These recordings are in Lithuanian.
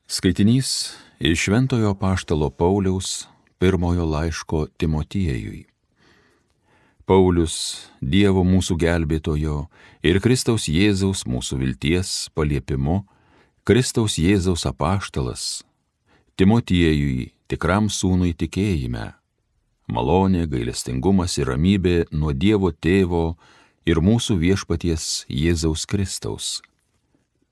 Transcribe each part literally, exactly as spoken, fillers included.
Skaitinys iš Šventojo apaštalo Pauliaus pirmojo laiško Timotiejui. Paulius, Dievo mūsų gelbėtojo ir Kristaus Jėzaus mūsų vilties paliepimu, Kristaus Jėzaus apaštalas, Timotiejui, tikram sūnui tikėjime, malonė, gailestingumas ir ramybė nuo Dievo Tėvo ir mūsų viešpaties Jėzaus Kristaus.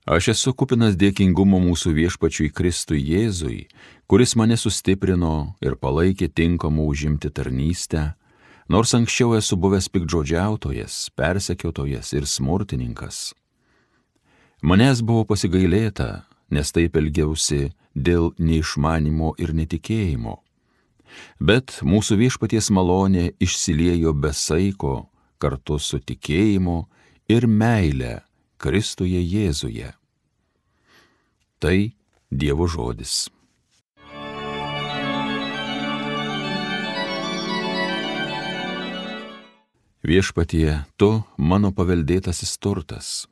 Aš esu kupinas dėkingumo mūsų viešpačiui Kristui Jėzui, kuris mane sustiprino ir palaikė tinkamų užimti tarnystę, nors anksčiau esu buvęs piktžodžiautojas, persekiotojas ir smurtininkas. Manęs buvo pasigailėta, nes taip elgiausi dėl neišmanimo ir netikėjimo. Bet mūsų viešpaties malonė išsiliejo be saiko kartu su tikėjimu ir meile Kristuje Jėzuje. Tai Dievo žodis. Viešpatie, tu mano paveldėtasis turtas.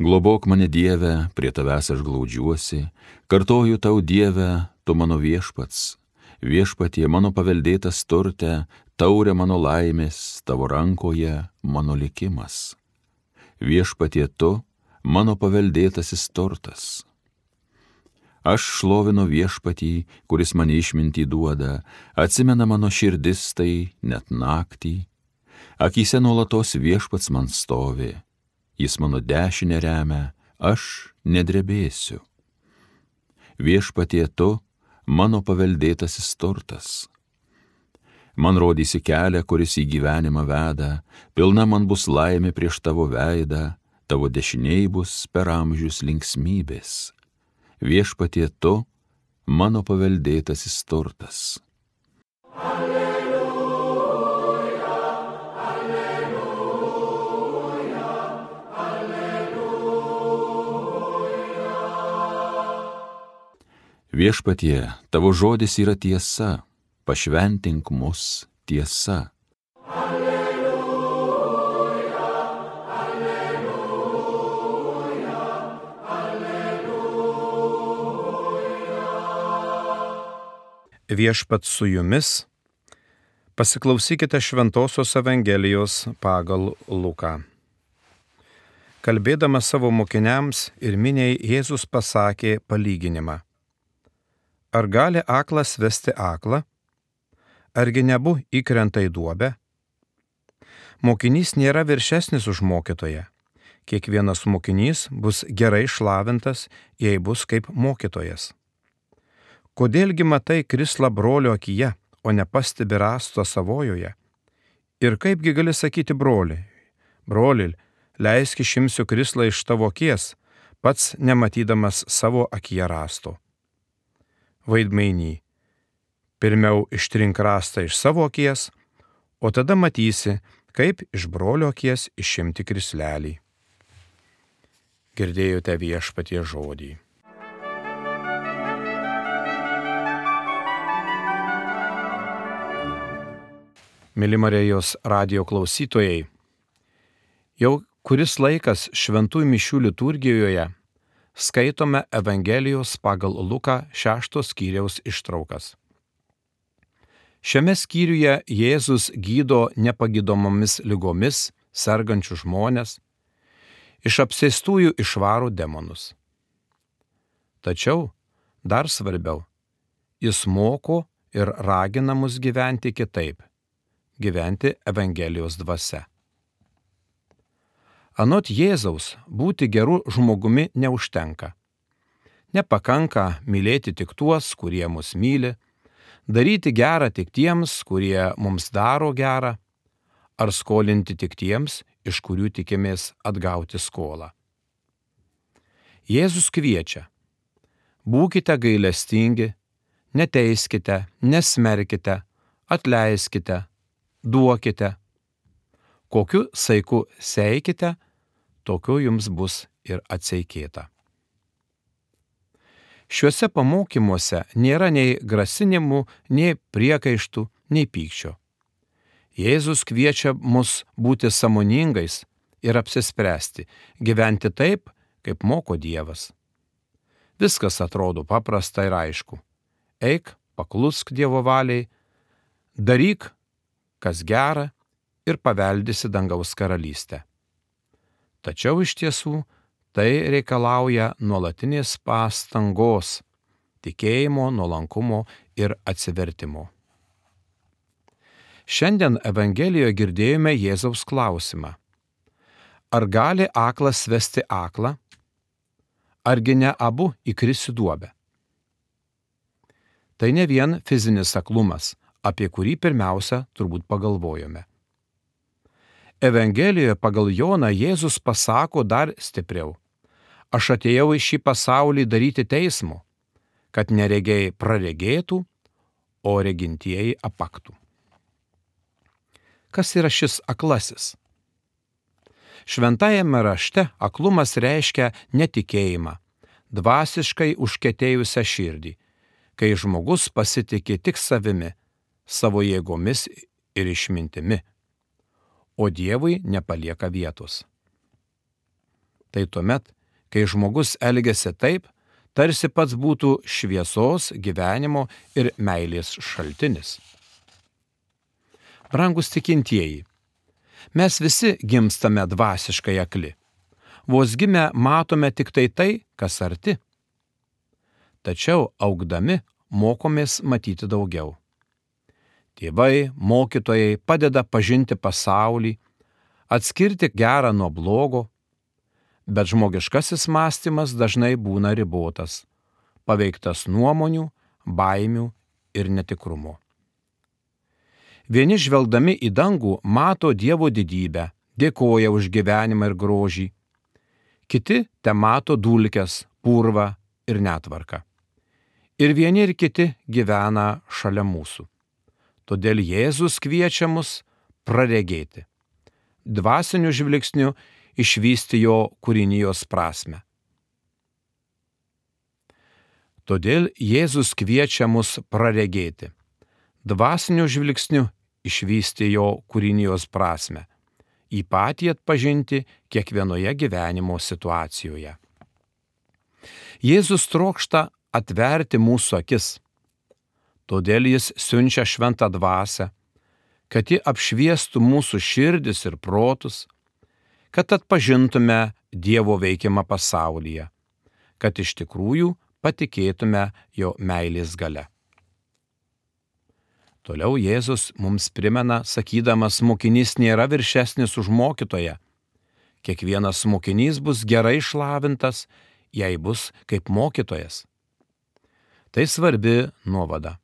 Globok mane, Dieve, prie tavęs aš glaudžiuosi, kartoju tau, Dieve, tu mano viešpats. Viešpatie, mano paveldėtas turte, taurė mano laimės, tavo rankoje mano likimas. Viešpatie, tu mano paveldėtasis turtas. Aš šlovinu viešpatį, kuris mane išmintį duoda, atsimena mano širdis tai net naktį. Akyse nuolatos viešpats man stovi, jis mano dešinę remia, aš nedrebėsiu. Viešpatie, tu mano paveldėtasis turtas. Man rodysi kelią, kuris į gyvenimą veda, pilna man bus laimė prieš tavo veidą, tavo dešiniai bus per amžius linksmybės. Viešpatie, tu mano paveldėtasis turtas. Alleluja, alleluja, alleluja. Viešpatie, tavo žodis yra tiesa, pašventink mus tiesa. Alleluja, alleluja, alleluja. Viešpats su jumis, pasiklausykite Šventosios Evangelijos pagal Luką. Kalbėdamas savo mokiniams ir miniai, Jėzus pasakė palyginimą. Ar gali aklas vesti aklą? Argi nebu įkrenta į duobę? Mokinys nėra viršesnis už mokytoją. Kiekvienas mokinys bus gerai išlavintas, jei bus kaip mokytojas. Kodėlgi matai krislą brolio akyje, o nepastebi rąsto savojoje? Ir kaipgi gali sakyti broliui, broli, leisk išimsiu krislą iš tavo akies, pats nematydamas savo akyje rąsto. Vaidmainy. Pirmiau ištrink rąstą iš savo akies, o tada matysi, kaip iš brolio akies išimti krislelį. Girdėjote viešpaties žodį. Myli Marijos radijo klausytojai, jau kuris laikas šventųjų mišių liturgijoje skaitome Evangelijos pagal Luką šešto skyriaus ištraukas. Šiame skyriuje Jėzus gydo nepagydomomis ligomis sergančių žmones, iš apsėstųjų išvaro demonus. Tačiau, dar svarbiau, jis moko ir ragina mus gyventi kitaip, gyventi Evangelijos dvasia. Anot Jėzaus, būti geru žmogumi neužtenka. Nepakanka mylėti tik tuos, kurie mus myli, daryti gerą tik tiems, kurie mums daro gerą, ar skolinti tik tiems, iš kurių tikimės atgauti skolą. Jėzus kviečia: būkite gailestingi, neteiskite, nesmerkite, atleiskite, duokite. Kokiu saiku seikite, tokiu jums bus ir atseikėta. Šiuose pamokymuose nėra nei grasinimų, nei priekaištų, nei pykčio. Jėzus kviečia mus būti sąmoningais ir apsispręsti, gyventi taip, kaip moko Dievas. Viskas atrodo paprasta ir aišku. Eik, paklusk Dievo valiai, daryk, kas gera ir paveldysi dangaus karalystę. Tačiau iš tiesų tai reikalauja nuolatinės pastangos, tikėjimo, nuolankumo ir atsivertimo. Šiandien Evangelijoje girdėjome Jėzaus klausimą. Ar gali aklas vesti aklą? Argi ne abu įkris į duobę? Tai ne vien fizinis aklumas, apie kurį pirmiausia turbūt pagalvojome. Evangelijoje pagal Joną Jėzus pasako dar stipriau. Aš atėjau į šį pasaulį daryti teismo, kad neregiai praregėtų, o regintieji apaktų. Kas yra šis aklasis? Šventajame rašte aklumas reiškia netikėjimą, dvasiškai užkietėjusią širdį, kai žmogus pasitikė tik savimi, savo jėgomis ir išmintimi, o Dievui nepalieka vietos. Tai tuomet, kai žmogus elgiasi taip, tarsi pats būtų šviesos, gyvenimo ir meilės šaltinis. Brangus tikintieji, mes visi gimstame dvasiškai akli. Vos gimę matome tik tai tai, kas arti. Tačiau augdami mokomės matyti daugiau. Tėvai, mokytojai padeda pažinti pasaulį, atskirti gerą nuo blogo, bet žmogiškasis mąstymas dažnai būna ribotas, paveiktas nuomonių, baimių ir netikrumo. Vieni žvelgdami į dangų mato Dievo didybę, dėkoja už gyvenimą ir grožį. Kiti te mato dulkes, purvą ir netvarką. Ir vieni ir kiti gyvena šalia mūsų. Todėl Jėzus kviečia mus praregėti, dvasiniu žvilgsniu išvysti jo kūrinijos prasmę. Todėl Jėzus kviečia mus praregėti, dvasiniu žvilgsniu išvysti jo kūrinijos prasmę, jį patį atpažinti kiekvienoje gyvenimo situacijoje. Jėzus trokšta atverti mūsų akis, todėl jis siunčia šventą dvasią, kad ji apšviestų mūsų širdis ir protus, kad atpažintume Dievo veikimą pasaulyje, kad iš tikrųjų patikėtume jo meilės galia. Toliau Jėzus mums primena, sakydamas, mokinys nėra viršesnis už mokytoją. Kiekvienas mokinys bus gerai išlavintas, jei bus kaip mokytojas. Tai svarbi nuovada.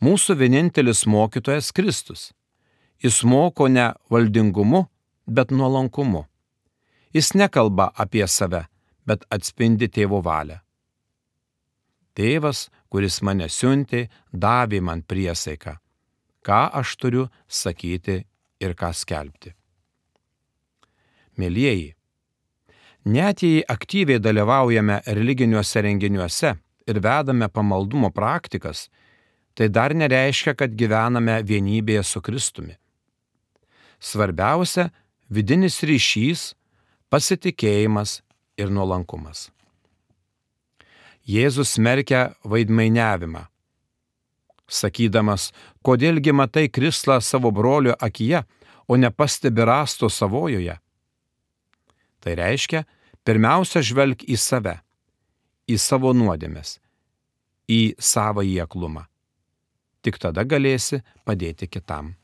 Mūsų vienintelis mokytojas Kristus. Jis moko ne valdingumu, bet nuolankumu. Jis nekalba apie save, bet atspindi tėvo valią. Tėvas, kuris mane siuntė, davė man priesaiką, ką aš turiu sakyti ir ką skelbti. Mielieji, net jei aktyviai dalyvaujame religiniuose renginiuose ir vedame pamaldumo praktikas, tai dar nereiškia, kad gyvename vienybėje su Kristumi. Svarbiausia – vidinis ryšys, pasitikėjimas ir nuolankumas. Jėzus smerkia vaidmainiavimą, sakydamas, kodėlgi matai krislą savo brolio akyje, o nepastebi rąsto savojoje. Tai reiškia, pirmiausia žvelk į save, į savo nuodėmes, į savąjį aklumą. Tik tada galėsi padėti kitam.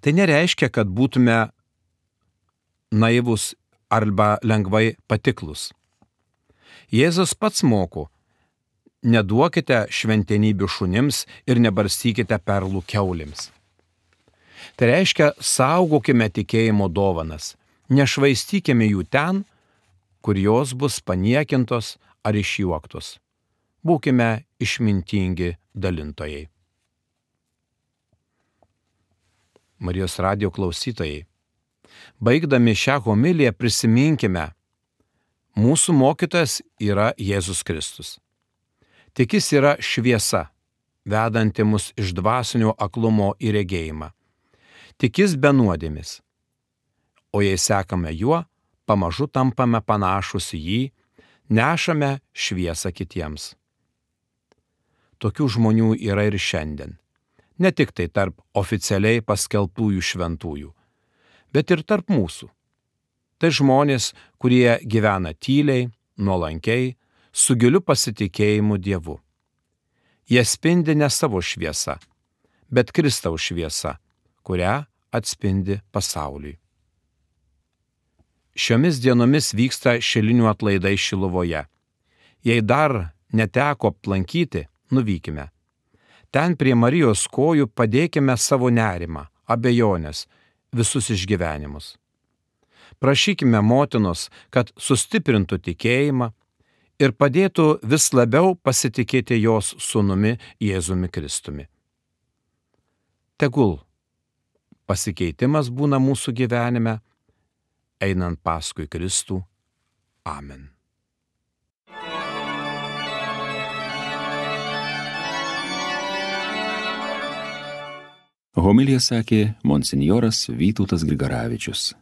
Tai nereiškia, kad būtume naivus arba lengvai patiklus. Jėzus pats moko, neduokite šventenybių šunims ir nebarstykite perlų kiaulėms. Tai reiškia, saugokime tikėjimo dovanas, nešvaistykime jų ten, kur jos bus paniekintos ar išjuoktos. Būkime išmintingi dalintojai. Marijos radijo klausytojai, baigdami šią homiliją prisiminkime, mūsų mokytojas yra Jėzus Kristus. Tik jis yra šviesa, vedanti mus iš dvasinio aklumo į regėjimą. Tik jis be nuodėmės. O jei sekame juo, pamažu tampame panašus į jį, nešame šviesą kitiems. Tokių žmonių yra ir šiandien. Ne tik tai tarp oficialiai paskelbtųjų šventųjų, bet ir tarp mūsų. Tai žmonės, kurie gyvena tyliai, nuolankiai, su giliu pasitikėjimu Dievu. Jie spindi ne savo šviesą, bet Kristaus šviesą, kurią atspindi pasauliui. Šiomis dienomis vyksta šilinių atlaidai Šiluvoje. Jei dar neteko aplankyti, nuvykime. Ten prie Marijos kojų padėkime savo nerimą, abejonės, visus išgyvenimus. Prašykime motinos, kad sustiprintų tikėjimą ir padėtų vis labiau pasitikėti jos sūnumi Jėzumi Kristumi. Tegul pasikeitimas būna mūsų gyvenime, einant paskui Kristų. Amen. Homiliją sakė monsinjoras Vytautas Grigaravičius.